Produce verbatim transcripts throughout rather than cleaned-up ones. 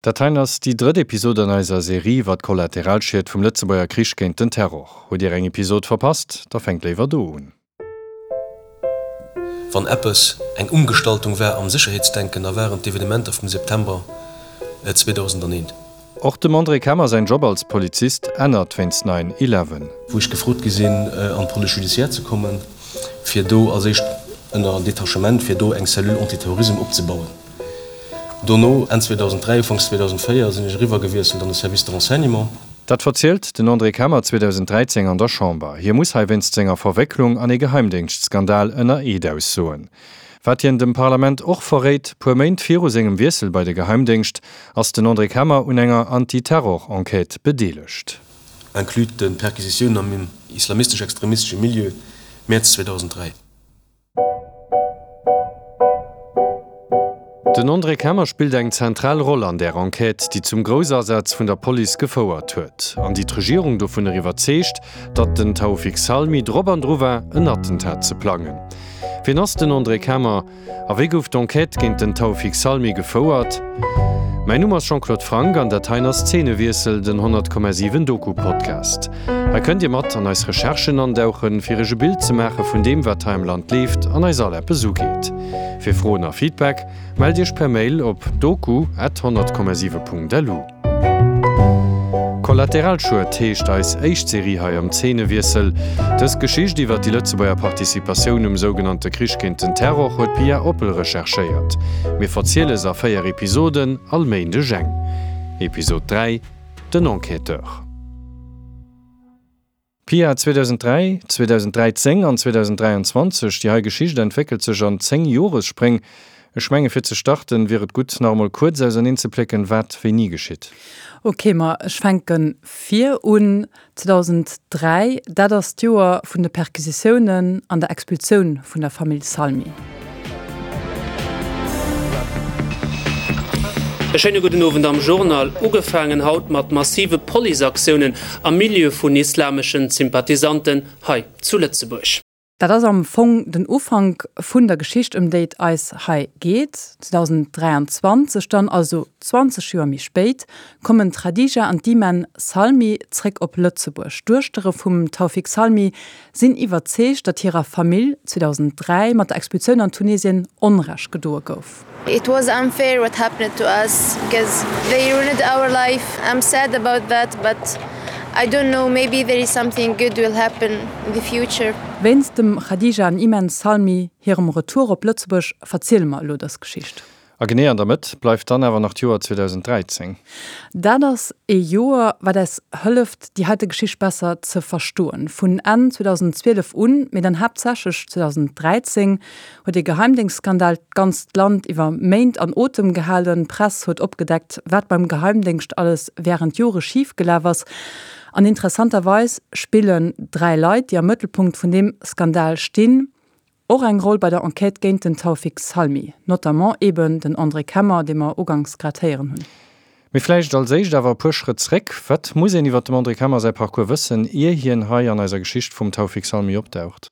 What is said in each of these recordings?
Dat heien ass déi drëtt Episod an eiser Serie iwwer d'Kollateralschied vum Lëtzebuerger Krich géint den Terror. Hutt Dir eng Episod verpasst? Da fänkt léiwer do un. Wann eppes eng Umgestaltung war am Sécherheetsdenken, da waren d'Evenementer vum September zweedausendaneent. Och dem André Kemmer säin Job als Polizist ännert wéinst Nine Eleven. Wou ech gefrot gi sinn, an d'Police judiciaire ze kommen, fir do als éischt ënner Detachement, fir do eng Cellule antiterrorisme opzebauen. Dono, Enn zweedausenddräi, Ufanks zweedausenddvéier, sinn ech eriwwergewiesselt an de Service de renseignement. Dat verzielt den André Kemmer zweedausenddräizéng an der Chamber. Hie muss hei wéinst senger Verwécklung an ee Geheimdéngschtskandal ënner Eed aussoen. Wat hien dem Parlament och verréit, Puer Méint viru sengem Wiessel bei de Geheimdéngscht ass den André Kemmer un enger Anti-Terror-Enquête bedeelegt. Inclus de Perquisitiounen am islamistesch-extremistesche Milieu, Mäerz zweedausenddräi. Den André Kemmer spillt eng zentral Roll an där Enquête, déi zum Groussasaz vun der Police gefouert huet an déi d'Regierung dovunner iwwerzeegt, datt den Taoufik Salmi drop an dru war, en Attentat ze plangen. Wien ass den André Kemmer a wéi gouf d'Enquête géint den Taoufik Salmi gefouert? Mäin Numm ass Jean-Claude Franck an dat heien ass Zeenewiessel, den honnert Komma siwen Doku-Podcast. Hei kënnt Dir mat an eis Recherchen andauchen, fir Iech e Bild ze maache vun deem, wat hei am Land leeft an eis all eppes ugeet. Fir Froen a Feedback mellt Iech per Mail op doku at honnert Komma siwe Punkt lu. Kollateralschued heescht eis éischt Serie hei am Zeenewiessel. Dës Geschicht iwwer déi Lëtzebuerger Participatioun um sougenannte Krich géint den Terror huet d'Pia Oppel recherchéiert. Mir verziele se a véier Episoden, all Méindeg eng. Episod dräi, Den Enquêteur. Pia, zweedausenddräi, zweedausenddräizéng an zweedausenddräianzwanzeg, déi hei Geschicht entwéckelt sech an zéng Joresspréng. Ech menge fir ze starten, wier et gutt, nach emol kuerz auserneenzeplécken, wat wéini geschitt. Ok, ma ech fänke vir un. zweedausenddräi, dat ass d'Joer vun de Perquisitiounen an der Expulsioun vun der Famill Salmi. E schéine gudden Owend am Journal. Ugefaangen haut mat massive Policeaktiounen am Milieu vun islameschen Sympathisanten hei zu Lëtzebuerg. Dat ass am Fong den Ufank vun der Geschicht, ëm déi et eis hei geet. zweedausenddräianzwanzeg dann, also zwanzeg Joer méi spéit, kommen d'Khadija an d'Iman Salmi zréck op Lëtzebuerg. D'Duechtere vum Taoufik Salmi sinn iwwerzeegt, datt hirer Famill zweedausenddräi mat der Expulsioun an Tunesien Onrecht gedoe gouf. It was unfair what happened to us because they ruined our life. I'm sad about that, but I don't know, maybe there is something good will happen in the future. Wéinst dem Khadija an Iman Salmi hirem Retour op Lëtzebuerg verziele mer elo dës Geschicht. A genee an der Mëtt bleift dann awer nach d'Joer zweedausenddräizéng. Dat ass ee Joer, wat eis hëlleft, déi heite Geschicht besser ze verstoen. Vun Enn zweedausendzwielef un, mee dann haaptsächlech zweedausenddräizéng, huet ee Geheimdéngschtskandal d'ganzt Land iwwer Méint an Otem gehalen. D'Press huet opgedeckt, wat beim Geheimdéngscht alles wärend Jore schif gelaf ass. An interessanterweis spillen dräi Leit, déi am Mëttelpunkt vun deem Skandal stinn, och eng Roll bei der Enquête géint den Taoufik Salmi, notamment eben den André Kemmer, dee mer uganks grad héieren hunn. Mee vläicht als éischt awer e puer Schrëtt zréck, Wat muss een iwwer dem André Kemmer säi Parcours wëssen, ier hien hei an eiser Geschicht vum Taoufik Salmi opdaucht?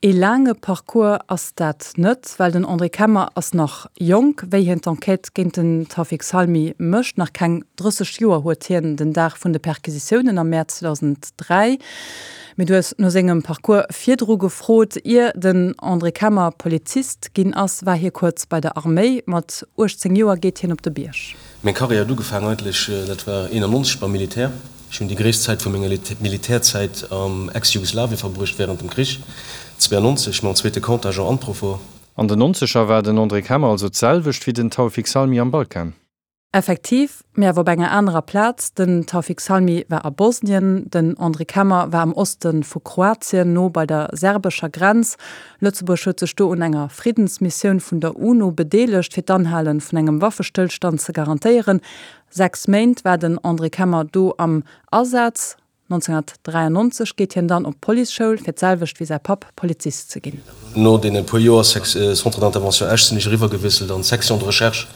Ee laange Parcours ass dat net, well den André Kemmer ass nach jonk, wéi hien d'Enquête géint den Taoufik Salmi mécht. Nach keng drësseg Joer huet hien den Dag vun de Perquisitiounen am Mäerz zweedausenddräi. Mee du hues no sengem Parcours virdru gefrot. Ier den André Kemmer Polizist ginn ass, war hie kuerz bei der Arméi. Mat uechtzéng Joer geet hien op de Bierg. Meng Karriär huet ugefaangen eigentlech, dat war eenannonzeg beim Militär. Ech hunn déi gréisst Zäit vu menger Militärzäit am Ex-Jugoslawien verbruecht wärend dem Krich, zweeannonzeg, mam zweete Contingent Unprofor. An den Nonzeger war den André Kemmer also d'selwecht wéi den Taoufik Salmi am Balkan. Effektiv, mee awer op enger anerer Plaz. Den Taoufik Salmi war a Bosnien, den André Kemmer war am Oste vu Kroatien, no bei der serbescher Grenz. Lëtzebuerg huet sech do un enger Friddensmissioun vun der UNO bedeelegt, fir d'Anhale vun engem Waffestëllstand ze garantéieren. Sechs Méint war den André Kemmer do am Asaz. nonzénhunnertdräiannonzeg geet hien dann op d'Policeschoul, fir d'selwecht wéi säi Papp Polizist ze ginn. No deene puer Joer Centre d'intervention Esch sinn ech eriwwergewiesselt an d'Section de recherche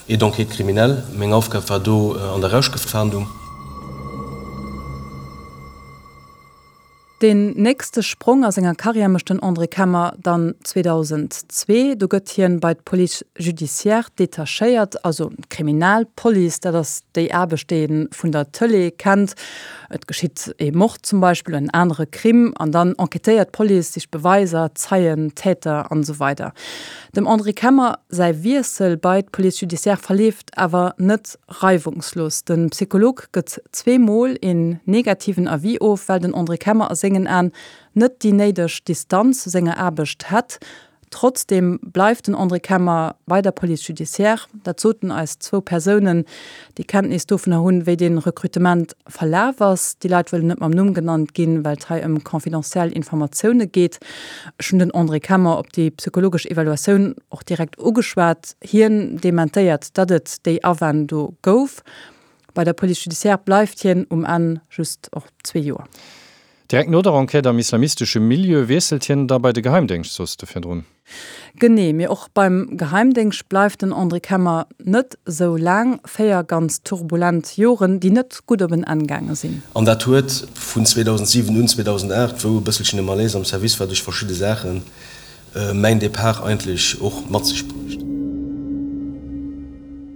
et d'enquête criminelle. Meng Aufgab war do an der Rauschgëftfahndung. Deen nächste Sprong a senger Karriär mécht den André Kemmer dann zweedausendzwee. Do gëtt hien bei d'Police judiciaire detachéiert, also d'Kriminalpolice. Dat ass déi Aarbecht, déi ee vun der Tëlee kennt. Et geschitt ee Mord zum Beispill, en anere Crime, an dann enquêtéiert d'Police, sicht Beweiser, Zeien, Täter an esou weider. Dem André Kemmer säi Wiessel bei d'Police judiciaire verleeft awer net reiwungslos. De Psycholog gëtt zwee Mol een negativen Avis of, well den André Kemmer a sengen Aen net déi néideg Distanz zu senger Aarbecht hätt. Trotzdeem bleift den André Kemmer bei der Police judiciaire. Dat soten eis zwou Persounen, déi Kenntnis dovunner hunn, wéi dee Rekrutement verlaf ass. Déi Leit wëllen net mam Numm genannt ginn, well et hei ëm confidentiel Informatioune geet. Ech hunn den André Kemmer op déi psychologesch Evaluatioun och direkt ugeschwat. Hien dementéiert, datt et déi Awänn do gouf. Bei der Police judiciaire bleift hien um Enn just och zwee Joer. Direkt no der Enquête am islamistesche Milieu wiesselt hien da bei de Geheimdéngscht, soss de virdrun. Genee, mee och beim Geheimdéngscht bleift den André Kemmer net sou laang. Véier ganz turbulent Joren, déi net gutt op en Enn gaange sinn. An dat huet vun zweedausentsiwen un, zweedausenaacht, wou e bësselchen e Malaise am Service war duerch verschidde Saachen, mäin Depart eigentlech och mat sech bruecht.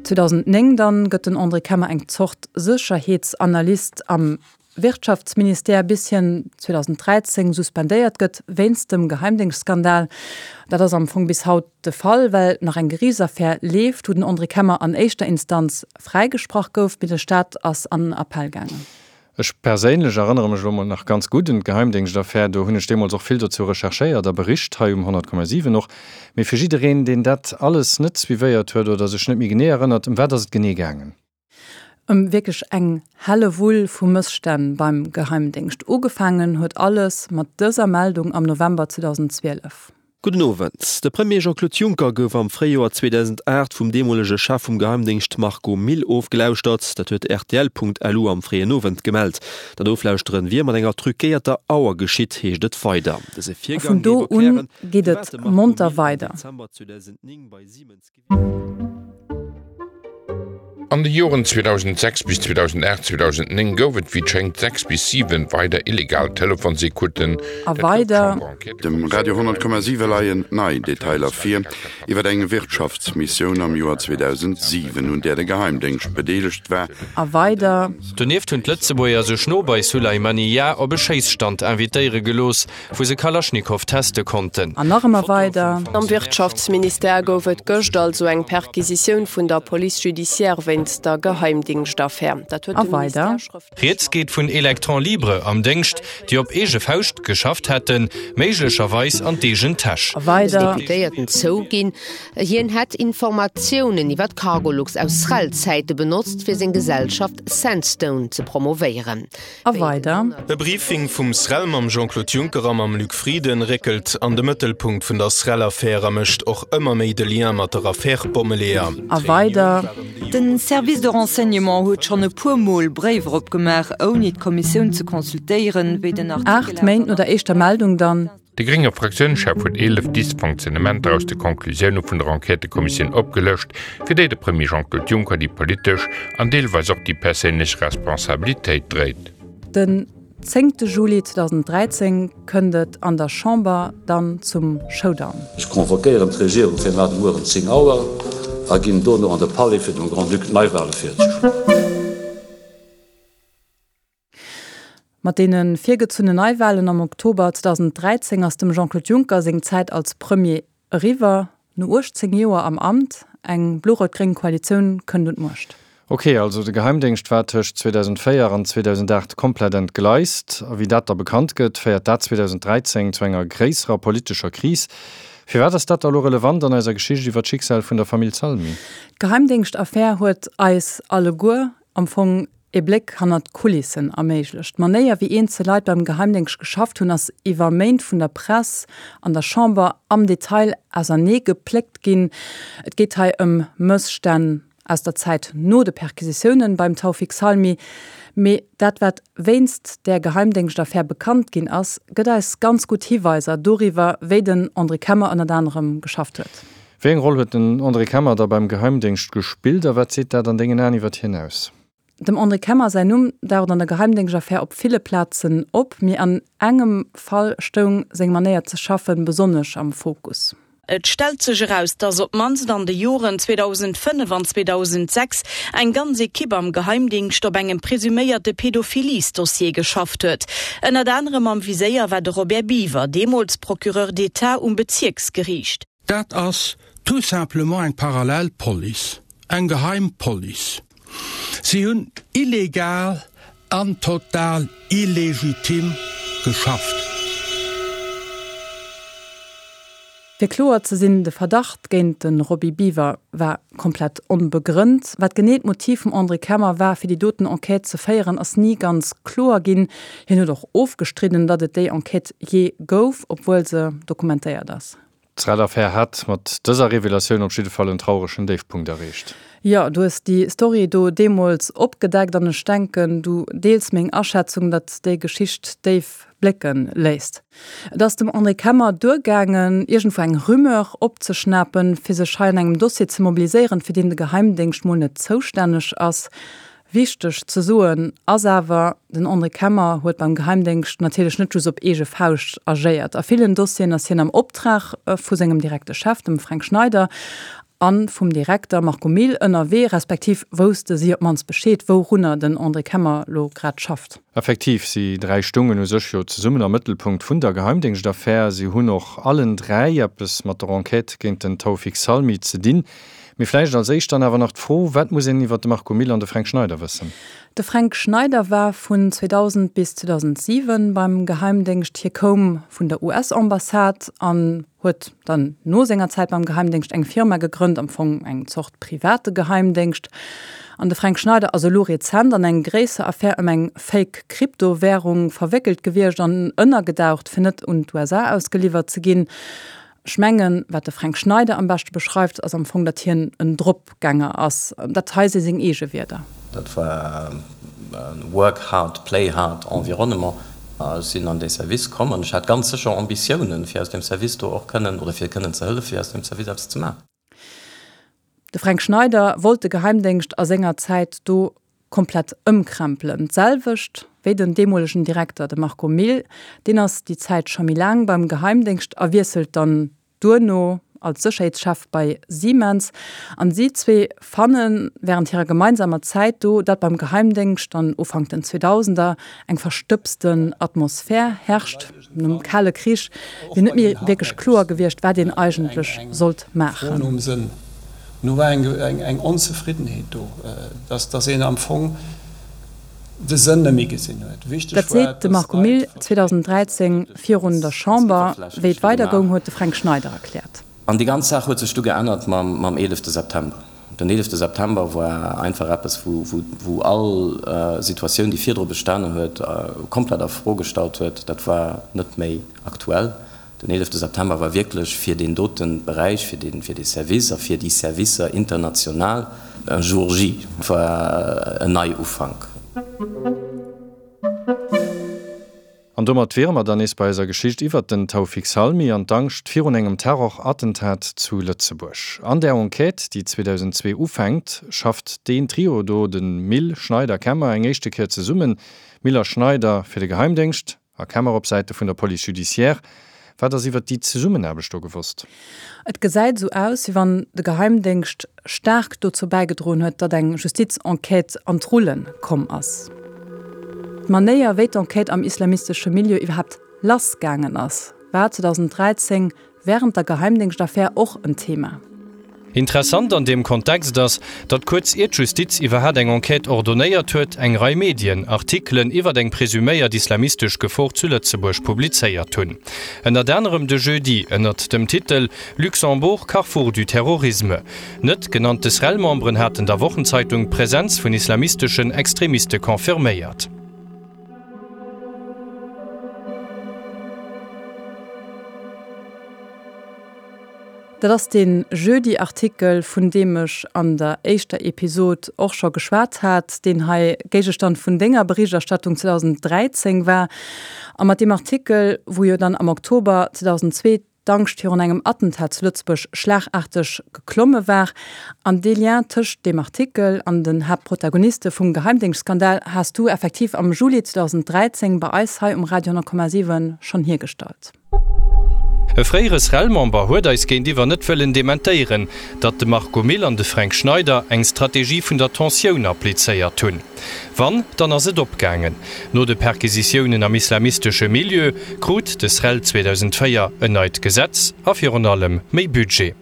zweedausendnéng dann gëtt den André Kemmer eng Zort Sécherheetsanalyst am Wirtschaftsministère, bis hien zweedausenddräizéng suspendéiert gëtt wéinst dem Geheimdéngschtskandal. Dat ass am Fong bis haut de Fall, well nach eng Geriichtsaffär leeft, wou den André Kemmer an éischter Instanz fräigesprach gouf, mee de Staat ass an Appell gaangen. Ech perséinlech erënnere mech elo mol nach ganz gutt un d'Geheimdéngschtaffär. Do hunn ech deemools och vill dozou recherchéiert a bericht, hei um honnert Komma siwen och. Mee fir jiddereen, deen dat alles net suivéiert huet oder sech net méi genee erënnert, Ëm wat ass et genee gaangen? Ëm wierklech eng Hellewull vu Mësstänn beim Geheimdéngscht. Ugefaangen huet alles mat dëser Meldung am November zweedausendzwielef. Gudden Owend. De Premier Jean-Claude Juncker gouf am Fréijoer zweedausendacht vum deemolege Chef vum Geheimdéngscht Marco Mille ofgelauschtert. Dat huet rtl.lu am fréien Owend gemellt. Dat Oflauschteren wier mat enger truquéierter Auer geschitt, heescht et weider. Dëse A Virgang vun do géif un erklären, geet firwat et de Marco monter Mille am weider. Dezember zweedausendnéng bei Siemens gewiescht. An de Joren zweedausendsechs bis zweedausendacht, zweedausendnéng gouf et wéi et schéngt sechs bis siwen weider illegal Telefonsecouten. A Dat gouf weider. Dem Radio honnert Komma siwe leien nei Detailer vir iwwer eng Wirtschaftsmissioun am Joer zweedausentsiwen, un där de Geheimdéngscht bedeelegt war. A weider. Donieft hunn d'Lëtzebuerger sech no bei Sulaymaniyah op e Schéisstand invitéiere gelooss, wou se Kalaschnikow teste konnten. An nach ëmmer weider. Am Wirtschaftsministère gouf et gëscht also eng Perquisitioun vun der Police judiciaire wéinst der Geheimdingscht-Affär. Dat huet A de weider. Ministère schrëftlech Rieds geet vun Electrons libres am Déngscht, déi op eege Fauscht geschafft hätten, méiglecherweis an d'eegen Täsch. A weider. Deputéierten zouginn, hien hätt Informatiounen iwwer d'Cargolux aus Srel-Zäite benotzt, fir seng Gesellschaft Sandstone ze promovéieren. A weider. E Briefing vum Srel mam Jean-Claude Juncker a mam Luc Frieden réckelt an de Mëttelpunkt vun der Srel-Affär a mécht och ëmmer méi de Lien mat der Affär Bommeleeër. A weider. Den Service de renseignement huet schonn e puer Mol Bréiwer opgemaach, ouni d'Kommissioun ze consultéieren, wéi den Artikel Aacht Méint no der éischter Meldung dann. De grénge Fraktiounschef huet eelef Dysfonctionnementer aus de Conclusioune vun der Enquêtëkommissioun opgelëscht, fir déi de Premier Jean-Claude Juncker déi politesch an deelweis och déi perséinlech Responsabilitéit dréit. Den zéngte Juli zweedausenddräizéng kënnt et an der Chamber dann zum Showdown. Ech convoquéieren d'Regierung fir mar de Mueren zéng Auer a ginn dono an de Palais fir dem Grand-Duc d'Neiwale virzeschloen. Mat deene virgezunnen Neiwalen am Oktober zweedausenddräizéng ass dem Jean-Claude Juncker seng Zäit als Premier eriwwer. No uechtzéng Joer am Amt, eng blo-rout-gréng Koalitioun kënnt un d'Muecht. Ok, also de Geheimdéngscht war tëscht zweedausenddvéier an zweedausendacht komplett entgleist. A wéi dat da bekannt gëtt, féiert dat zweedausenddräizéng zu enger gréisserer politescher Kris. Firwat ass dat da lo relevant an eiser Geschicht iwwer d'Schicksal vun der Famill Salmi? D'Geheimdéngschtaffär huet eis alleguer am Fong ee Bléck hannert d'Kulissen erméiglecht. D'Manéier, wéi eenzel Leit beim Geheimdéngscht geschafft hunn, ass iwwer Méint vun der Press an der Chamber am Detail ausernee gepléckt ginn. Et geet hei ëm Mësstänn aus der Zäit no de Perquisitiounen beim Taoufik Salmi. Mee dat, wat wéinst där Geheimdéngschtaffär bekannt ginn ass, gëtt eis ganz gutt Hiweiser doriwwer, wéi den André Kemmer ënnert anerem geschafft huet. Wéi eng Roll huet den André Kemmer da beim Geheimdéngscht gespillt a wat seet dat an dengen Aen iwwer hien aus? Dem André Kemmer säin Numm daucht an der Geheimdéngschtaffär op ville Plazen op, mee an engem Fall stoung seng Manéier ze schaffen besonnesch am Fokus. Et stellt sech eraus, dass op d'mannst an de Joren zweedausendfënnef an zweedausendsechs eng ganz Ekipp am Geheimdingscht op engem presuméierte Pädophiliesdossier geschafft huet. Ënnert anerem am Viséier war de Robert Biever, deemools Procureur d'État um Bezierksgeriicht. Dat ass tout simplement eng parallel Police, eng geheim Police. Si hunn illegal an total illegitim geschafft. Fir kloer ze sinn, de Verdacht géint de Roby Biever war komplett onbegrënnt. Wat genee d'Motiv vum André Kemmer war, fir déi doten Enquête ze féieren, ass ni ganz kloer ginn. Hien huet och ofgestridden, datt et déi Enquête jee gouf, obwuel se dokumentéiert ass. D'Srel-Affär hat mat dëser Revelatioun op jidde Fall en trauregen Déifpunkt erreecht. Jo, du hues déi Story do deemools opgedeckt an ech denken, du deels meng Aschätzung, datt déi Geschicht déif blécke léisst. Et ass dem André Kemmer duergaangen, iergendwou eng Rumeur opzeschnapen, fir sech hei an engem Dossier ze mobiliséieren, fir deen de Geheimdéngscht mol net zoustänneg ass. Wichteg ze soen ass awer, den André Kemmer huet beim Geheimdéngscht natierlech net just op eege Fauscht agéiert. A villen Dossieren ass hien am Optrag vu sengem direkte Chef, dem Fränk Schneider, a vum Direkter Marco Mille ënnerwee, respektiv wousste si op d'mannst Bescheed, wourunner den André Kemmer lo grad schafft. Effektiv, si dräi stoungen u sech jo zesummen am Mëttelpunkt vun der Geheimdéngschtaffär. Si hunn och allen dräi eppes mat der Enquête géint den Taoufik Salmi ze dinn. Mee vläicht als éischt dann awer nach d'Fro, Wat muss een iwwer de Marco Mille an de Fränk Schneider wëssen? De Fränk Schneider war vun zweedausend bis zweedausentsiwen beim Geheimdéngscht. Hie koum vun der U S-Ambassade an huet dann no senger Zäit beim Geheimdéngscht eng Firma gegrënnt, am Fong eng Zort private Geheimdéngscht. An de Fränk Schneider ass elo rezent an eng gréisser Affär ëm eng Fake Kryptowärung verwéckelt gewiescht an ënnergedaucht, fir net un d'U S A ausgeliwwert ze ginn. Ech mengen, wat de Fränk Schneider am beschte beschreift, ass am Fong, datt hien en Dropgänger ass. Dat hei si seng eege Wierder. Dat war e work hard, play hard Environnement. Ech sinn an dee Service komm an ech hat ganz sécher Ambitiounen, fir aus deem Service do och kënnen, oder fir kënnen ze hëllefen, fir aus deem Service eppes ze maachen. De Fränk Schneider wollt de Geheimdéngscht a senger Zäit do komplett ëmkrempelen. D'selwecht wéi den deemolegen Direkter, de Marco Mille. Deen ass déi Zäit scho méi laang beim Geheimdéngscht a wiesselt dann duerno als Sécherheetschef bei Siemens. An si zwee fanne wärend hirer gemeinsamer Zäit do, datt beim Geheimdéngscht dann Ufank den Zweedausender eng verstëbsten Atmosphär herrscht. Nom Kale Krich wier net méi wierklech kloer gewiescht, wat een eigentlech sollt maachen. Nu war eng Onzefriddenheet do, dass een am Fong de Sënn net méi gesinn huet. Wichteg Dat war, seet de dass Marco d'Leit Mille zweedausenddräizéng virun der Chamber. Wéi et weider goung, huet de Fränk Schneider erkläert. An déi ganz Saach huet sech du geännert mam eelefte September. Den eelefte September war einfach eppes, wou all Situatioun, déi virdru bestanen huet, komplett a Fro gestallt huet. Dat war net méi aktuell. Den eelefte September war wierklech fir deen dote Beräich, fir dee Service a fir déi Servicer international un jour J, war en Neiufank. An domat wiere mer dann nees bei eiser Geschicht iwwert den Taoufik Salmi an d'Angscht virun engem Terrorattentat zu Lëtzebuerg. An der Enquête, déi zweedausendzwee ufänkt, schafft deen Trio do, de Mille, Schneider, Kemmer, eng éischte Kéier zesummen, Mille a Schneider fir de Geheimdéngscht a Kemmer op Säite vun der Police judiciaire. Wat ass iwwert déi Zesummenaarbecht do gewosst? Et gesäit esou aus, wéi wann de Geheimdéngscht staark dozou bäigedroen huet, datt eng Justizenquête an d'Rullen komm ass. D'Manéier, wéi d'Enquête am islamistesche Milieu iwwerhaapt lassgaangen ass, war zweedausenddräizéng wärend der Geheimdéngschtaffär och en Thema. Interessant an deem Kontext ass, datt kuerz ier d'Justiz iwwerhat eng Enquête ordonéiert huet, eng Rei Medien Artikelen iwwert eng presuméiert islamistesch Gefor zu Lëtzebuerg publizéiert hunn. Ënnert anerem de Jeudi ënnert dem Titel Luxembourg, carrefour du terrorisme. Net genannte SREL-Memberen haten der Wochenzeitung d'Presenz vun islamisteschen Extremiste confirméiert. Dat ass dee Jeudi-Artikel, vun deem ech an der éischter Episod och scho geschwat hat, deen hei Géigestand vun denger Berichterstattung zweedausenddräizéng war. A mat deem Artikel, wou jo dann am Oktober zweedausendzwee d'Angscht virun engem Attentat zu Lëtzebuerg schlagaarteg geklomme war. An dee Lien tëscht deem Artikel an den Haaptprotagoniste vum Geheimdéngschtskandal has du effektiv am Juli zweedausenddräizéng bei eis hei um Radio honnert Komma siwen schonn hiergestallt. E fréiere SREL-Member huet eis géintiwwer net wëllen dementéieren, datt de Marco Mille an de Fränk Schneider eng Strategie vun der Tensioun applizéiert hunn. Wann, dann ass et opgaangen. No de Perquisitiounen am islamistesche Milieu krut de SREL zweedausendvéier en neit Gesetz a virun allem méi Budget.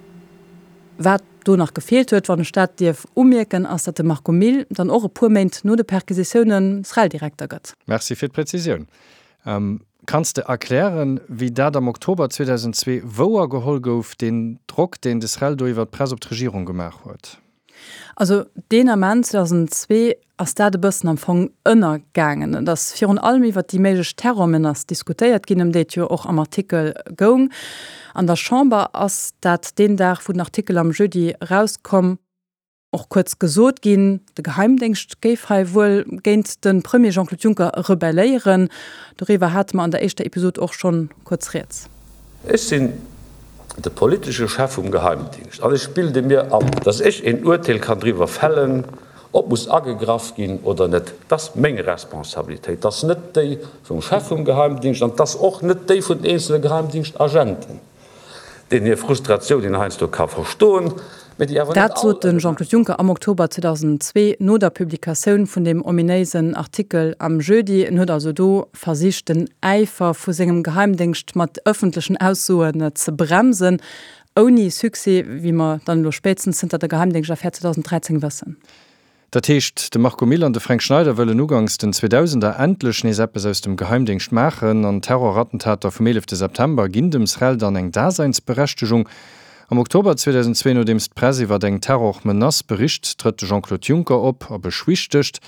Wat do nach gefeelt huet, wann ech dat dierf umierken, ass, datt de Marco Mille dann och e puer Méint no de Perquisitiounen SREL-Direkter gëtt. Merci fir d'Präzisioun. Kanns de erklären, wéi dat am Oktober zweedausendzwee wouer geholl gouf, deen Drock, deen de SREL do iwwer d'Press op d'Regierung gemaach huet? Also deen Ament, zweedausendzwee, ass dat e bëssen am Fong ënnergaangen. Et ass virun allem iwwer déi méiglech Terrormenace diskutéiert ginn, ëm déi et jo och am Artikel goung. An der Chamber ass dat deen Dag, wou den Artikel am Jeudi erauskomm, och kuerz gesot ginn, de Geheimdéngscht géif hei wuel géint de Premier Jean-Claude Juncker rebelléieren. Doriwwer hate mer an der éischter Episod och schonn kuerz rieds. Ech sinn de politesche Chef vum Geheimdingscht an ech bilde mir an, datt ech een Urteel kann driwwer fällen, ob muss agegraff ginn oder net. Dat ass meng Responsabilitéit, dat ass net déi vum Chef vum Geheimdingscht an dat ass och net déi vun den eenzele Geheimdingschtagenten. Deenen hir Frustratioun een heiansdo ka verstoen, mä déi awer net Dat all sot de Jean-Claude Juncker am Oktober zweedausendzwee no der Publikatioun vun deem ominéisen Artikel am Jeudi. En huet also do versicht, den Äifer vu sengem Geheimdéngscht mat ëffentlechen Aussoen ze bremsen. Ouni Succès, wéi mer dann elo spéitstens zënter der Geheimdéngschtaffär zweedausenddräizéng wëssen. Dat heescht, de Marco Mille an de Fränk Schneider wëllen uganks den Zweedausender endlech nees eppes aus dem Geheimdéngscht maachen an d'Terrorattentater vum eelefte September ginn dem SREL dann eng Daseinsberechtegung. Am Oktober zweedausendzwee, nodeems d'Press iwwer eng Terrormenace bericht, trëtt de Jean-Claude Juncker op a beschwichtegt.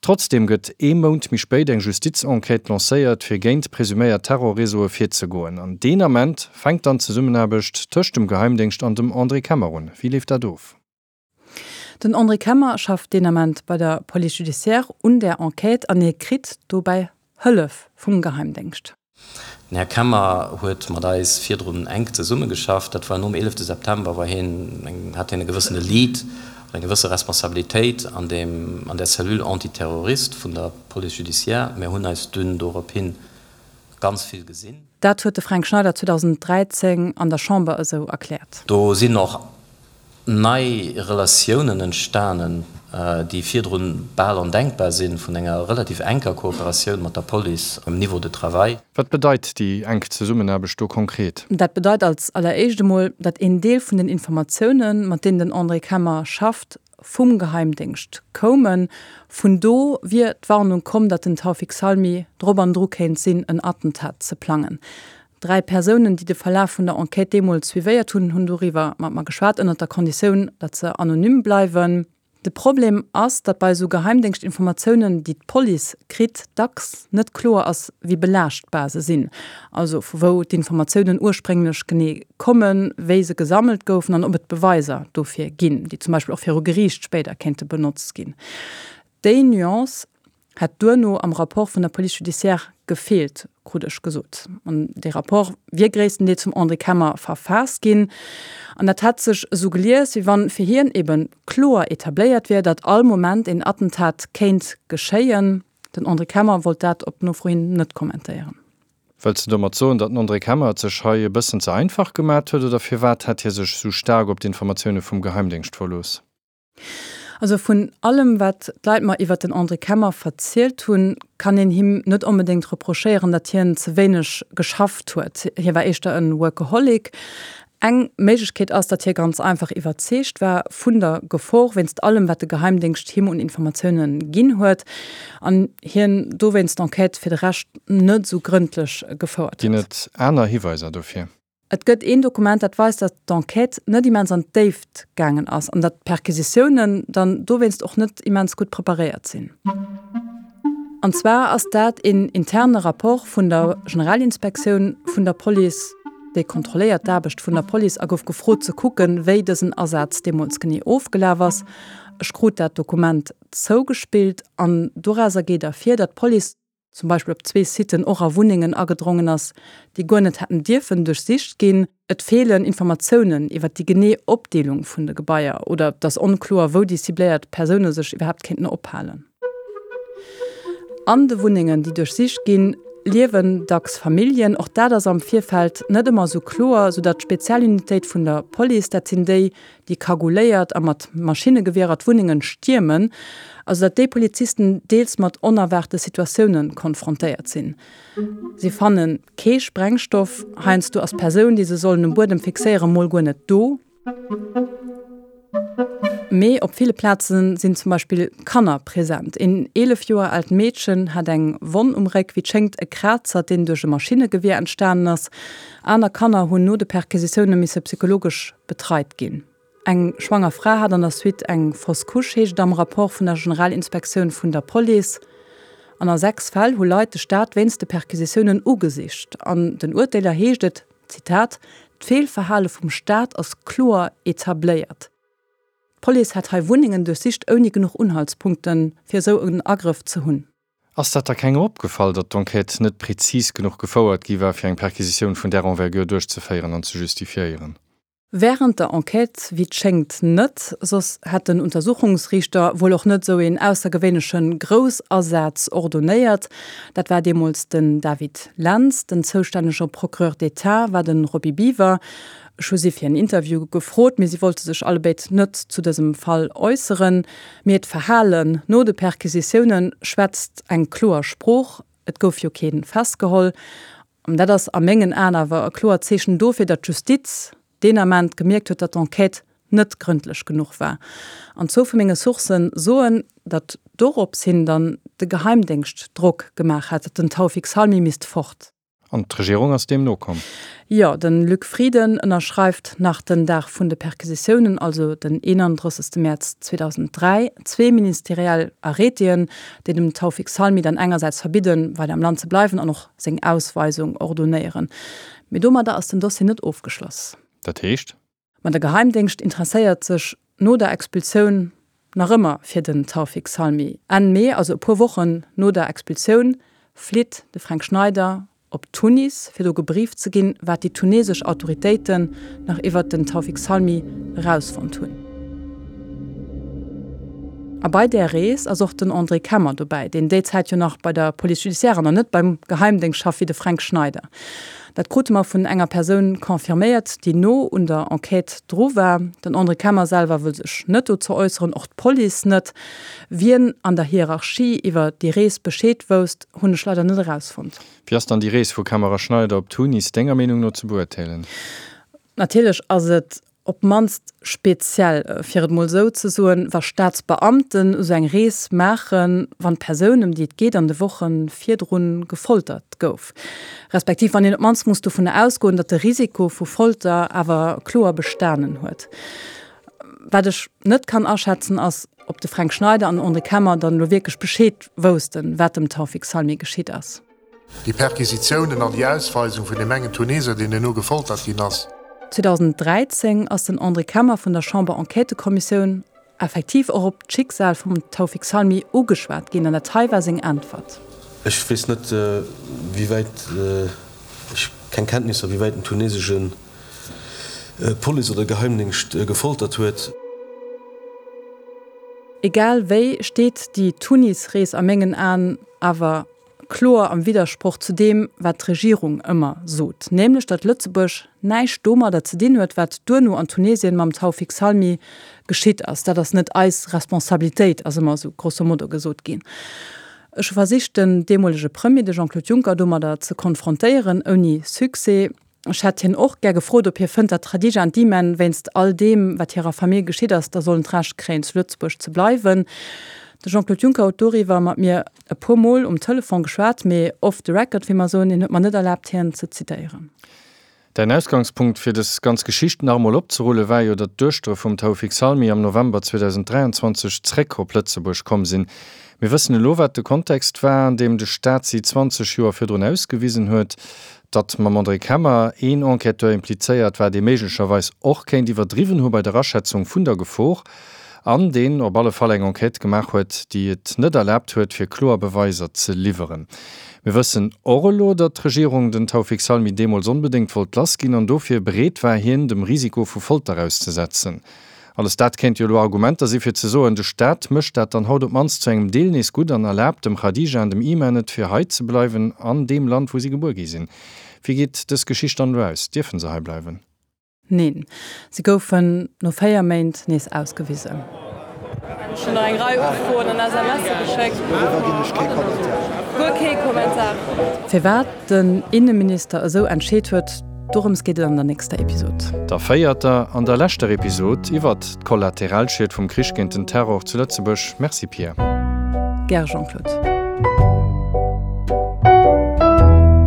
Trotzdeem gëtt ee Mount méi spéit eng Justizenquête lancéiert, fir géint presuméiert Terrorreseaue virzegoen. An deen Ament fänkt dann d'Zesummenaarbecht tëscht dem Geheimdéngscht an dem André Kemmer un. Wéi leeft dat of? Den André Kemmer schafft deen Ament bei der Police judiciaire un där Enquête an hie kritt dobäi Hëllef vum Geheimdéngscht. Den Här Kemmer huet mat eis virdrun enk zesummegeschafft. Dat war nom eelefte September, war hien eng, hat hien e gewëssene Lead an eng gewësse Responsabilitéit an deem, an der Cellule antiterroriste vun der Police judiciaire. Mir hunn eis dunn dorophin ganz vill gesinn. Dat huet de Fränk Schneider zweedausenddräizéng an der Chamber esou erkläert. Do sinn och nei Relatiounen entstanen, déi virdrun bal ondenkbar sinn, vun enger relativ enker Kooperatioun mat der Police um Niveau de travail. Wat bedeit déi enk Zesummenaarbecht do konkret? Dat bedeit als alleréischt emol, datt een Deel vun den Informatiounen, mat deenen den André Kemmer schafft, vum Geheimdéngscht koumen. Vun do wier d'Warnung komm, datt den Taoufik Salmi drop an dru kéint sinn, en Attentat ze plangen. Dräi Persounen, déi de Verlaf vun der Enquête deemools suivéiert hunn, hunn doriwwer mat mer geschwat, ënnert der Konditioun, datt se anonym bleiwen. De Problem ass, datt bei esou Geheimdéngschtinformatiounen, déi d'Police kritt, dacks net kloer ass, wéi belaaschtbar se sinn. Also vu wou d'Informatiounen ursprénglech genee kommen, wéi se gesammelt goufen an ob et Beweiser dofir ginn, déi zum Beispill och viru Geriicht spéider kéinte benotzt ginn. Déi Nuance hätt duerno am Rapport vun der Police judiciaire gefeelt, krut ech gesot. An dee Rapport wier gréisstendeels vum André Kemmer verfaasst ginn. An dat hätt sech esou gelies, wéi wann fir hien eben kloer etabléiert wier, datt all Moment een Attentat kéint geschéien. Den André Kemmer wollt dat op Nofro hin net kommentéieren. Wëlls de domat soen, datt den André Kemmer et sech hei e bëssen ze einfach gemat huet, oder firwat hätt hie sech esou staark op d'Informatioune vum Geheimdéngscht verlooss? Also vun allem, wat d'Leit mer iwwert den André Kemmer verzielt hunn, kann een him net onbedéngt reprochéieren, datt hien ze wéineg geschafft huet. Hie war éischter e Workaholic. Eng Méiglechkeet ass, datt hie ganz einfach iwwerzeegt war vun der Gefor, wéinst allem, wat de Geheimdéngscht him un Informatiounen ginn huet, an hien dowéinst d'Enquête fir de Rescht net esou grëndlech gefouert Ginn huet. et aner Hiweiser dofir? Et gëtt een Dokument, dat weist, datt d'Enquête net immens an d'Déift gaangen ass an datt d'Perquisitiounen dann dowéinst och net immens gutt preparéiert sinn. An zwar ass dat een interne Rapport vun der Generalinspektioun vun der Police, déi kontrolléiert d'Aarbecht vun der Police a gouf gefrot ze kucken, wéi dësen Asaz deemools genee ofgelaf ass. Ech krut dat Dokument zougespillt an dorauser geet ervir, datt d'Police, zum Beispill op zwee Siten och a Wunnengen agedrongen ass, déi guer net hätten dierfen duerchsicht ginn. Et feelen Informatiounen iwwer déi genee Opdeelung vun de Gebaier oder et ass onkloer, wou déi cibléiert Persoune sech iwwerhaapt kéinten ophalen. An de Wunnengen, déi duerchsicht ginn, liewen dacks Familljen. Och dat ass am Virfeld net ëmmer esou kloer, soudatt d'Spezialunitéit vun der Police, dat sinn déi, déi cagouléiert a mat Maschinnegewierer d'Wunnengen stiermen, also datt déi Polizisten deels mat onerwaarte Situatioune konfrontéiert sinn. Si fanne kee Sprengstoff, heiansdo ass d'Persoun, déi se sollen um Buedem fixéieren, mol guer net do. Mee op ville Plaze sinn zum Beispill Kanner present. Een eelef Joer aalt Meedchen hat eng Wonn um Réck, wéi et schéngt e Krazer, deen duerch e Maschinnegewier entstanen ass. Aner Kanner hunn no de Perquisitioune misse psychologesch betreit ginn. Eng schwanger Fra hat an der Suite eng Fausse couche, heescht et am Rapport vun der Generalinspektioun vun der Police. An a sechs Fäll hu Leit de Staat wéinst de Perquisitiounen ugesicht. An den Urteeler heescht et, Zitat, D'Feelverhale vum Staat ass kloer etabléiert. D'Police hätt hei Wunnengen duerchsicht ouni genuch Unhaltspunkten, fir esou en Agrëff ze hunn. Ass dat da kengem opgefall, datt d'Enquête net prezis genuch gefouert gi war, fir eng Perquisitioun vun där Envergure duerchzeféieren an ze justifiéieren? Wärend der Enquête, wéi et schéngt, net, soss hätt den Untersuchungsriichter wuel och net esou een aussergewéinleche Groussasaz ordonéiert. Dat war deemools den David Lentz, den zoustännege Procureur d'État war de Roby Biwer. Ech hu si fir en Interview gefrot, mee si wollte sech allebéid net zu dësem Fall äusseren. Mee d'Verhalen no de Perquisitioune schwätzt eng kloer Sprooch, Et gouf jo kee festgeholl. An dat ass a mengen Aen awer e kloert Zeechen dofir, datt d'Justiz deen Ament gemierkt huet, datt d'Enquête net grëndlech genuch war. An zwou vu menge Sourcë soen, datt dorops hin dann de Geheimdéngscht Drock gemaach hätt, datt den Taoufik Salmi misst fort. An d'Regierung ass deem nokomm? Jo, de Luc Frieden ënnerschreift nach den Dag vun de Perquisitiounen, also den eenandrëssegste Mäerz zweedausenddräi, zwee ministeriell Arrêtéen, déi dem Taoufik Salmi dann engersäits verbidden, weider am Land ze bleiwen an och seng Ausweisung ordonéieren. Mee domadder ass den Dossier net ofgeschloss. Dat heescht? Ma de Geheimdéngscht interesséiert sech no der Expulsioun nach ëmmer fir den Taoufik Salmi. Enn Mee, also e puer Wochen no der Expulsioun, flitt de Fränk Schneider op Tunis, fir do gebrieft ze ginn, wat déi tunesesch Autoritéiten nach iwwert den Taoufik Salmi erausfonnt hunn. A bei där Rees ass och den André Kemmer dobäi, deen déi Zäit jo nach bei der Police judiciaire an nach net beim Geheimdéngscht schafft wéi de Fränk Schneider. Dat krute mer vun enger Persoun confirméiert, déi no un der Enquête dru war. Den André Kemmer selwer wëll sech net dozou äusseren, och d'Police net. Wien an der Hierarchie iwwer déi Rees Bescheed wousst, hunn ech leider net erausfonnt. Wéi ass dann déi Rees vu Kemmer a Schneider op Tunis denger Meenung no ze beurteelen? Natierlech ass et op d'mannst speziell, fir et mol esou ze soen, wa Staatsbeamten esou eng Rees maachen, wann d'Persoun, ëm déi et geet, an de Woche virdru gefoltert gouf, respektiv wann een op d'mannst muss dovunner ausgoen, datt de Risiko vu Folter awer kloer bestanen huet. Wat ech net kann aschätzen, ass, ob de Fränk Schneider an den André Kemmer dann elo wierklech Bescheed woussten, wat dem Taoufik Salmi geschitt ass. Déi Perquisitiounen an déi Ausweisung vun deem engen Tuneser, deen duerno gefoltert ginn ass. zweedausenddräizéng ass den André Kemmer vun der Chamber-Enquêtëkommissioun effektiv och op d'Schicksal vum Taoufik Salmi ugeschwat ginn an dat hei war seng Äntwert. Ech weess net, wéi wäit, ech keng Kenntnisser, wéi wäit den tunesesche Police oder Geheimdéngscht gefoltert huet. Egal wéi steet déi Tunis-Rees a mengen Aen awer kloer am Widdersproch zu deem, wat d'Regierung ëmmer sot, nämlech datt Lëtzebuerg näischt domadder ze dinn huet, wat duerno an Tunesien mam Taoufik Salmi geschitt ass. Dat ass net eis Responsabilitéit, ass ëmmer esou grosso modo gesot ginn. Ech hu versicht, den deemolege Premier, de Jean-Claude Juncker, domadder ze konfrontéieren, ouni Succès. Ech hätt hien och gär gefrot, ob hie fënnt, datt d'Khadija an d'Imen wéinst all deem, wat hirer Famill geschitt ass, da sollen d'Recht kréien, zu Lëtzebuerg ze bleiwen. De Jean-Claude Juncker huet doriwwer mat mir e puer Mol um Telefon geschwat, mee off the record, wéi mer soen. Hien huet mer net erlaabt, hien ze zitéieren. Däin Ausgangspunkt, fir dës ganz Geschicht nach emol opzerullen, war jo, datt d'Duechtere vum Taoufik Salmi am November zweedausenddräianzwanzeg zréck op Lëtzebuerg komm sinn. Mir wëssen elo, wat de Kontext war, an deem de Staat si zwanzeg Joer virdrun ausgewisen huet, datt mam André Kemmer een Enquêteur implizéiert war, dee méiglecherweis och kéint iwwerdriwwen hu bei der Aschätzung vun der Gefor. an deen op alle Fall eng Enquête gemaach huet, déi et net erlaabt huet, fir kloer Beweiser ze liwweren. Mir wëssen och elo, datt d'Regierung den Taoufik Salmi deemools onbedéngt wollt lassginn an dofir bereet war, hien dem Risiko vu Folter auszesetzen. Alles dat kéint jo elo Argumenter si fir ze soen, de Staat mécht dat dann haut op d'mannst zu engem Deel nees gutt an erlaabt dem Khadija an dem Iman et, fir hei ze bleiwen, an deem Land, wou si gebuer gi sinn. Wéi geet dës Geschicht dann elo aus? Dierfe se hei bleiwen? Neen, si goufen no véier Méint nees ausgewisen. Ech hunn nach eng Rei Ufroen an SMSe geschéckt. Doriwwer ginn ech kee Kommentar. Guer kee Kommentar. Firwat den Inneminister esou entscheet huet, dorëms geet et an der nächster Episod. Der véierter an der leschter Episod iwwert d'Kollateralschied vum Krich géint den Terror zu Lëtzebuerg. Merci Pia. Gär Jean-Claude.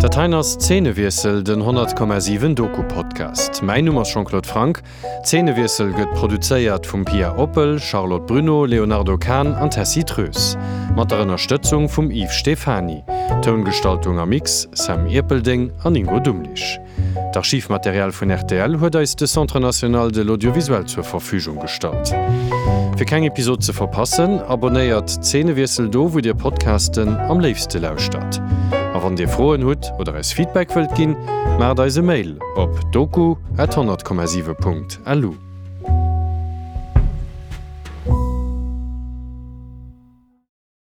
Dat heien ass Zeenewiessel, den honnert Komma siwen Doku-Podcast. Mäin Numm ass Jean-Claude Franck. Zeenewiessel gëtt produzéiert vum Pia Oppel, Charlotte Bruneau, Léonardo Kahn an Tessy Troes. Mat der Ënnerstëtzung vum Yves Stephany. Toungestaltung a Mix, Sam Ierpeldeng an Ingo Dumlich. D'Archivmaterial vun rtl huet eis de Centre national de l'audiovisuel zur Verfügung gestallt. Fir keng Episod ze verpassen, abonnéiert Zeenewiessel do, wou dir Podcasten am léifste lauschtert. A wann dir Froen hutt oder eis Feedback wëllt ginn, maacht eis e Mail op doku at honnert Komma siwe Punkt lu.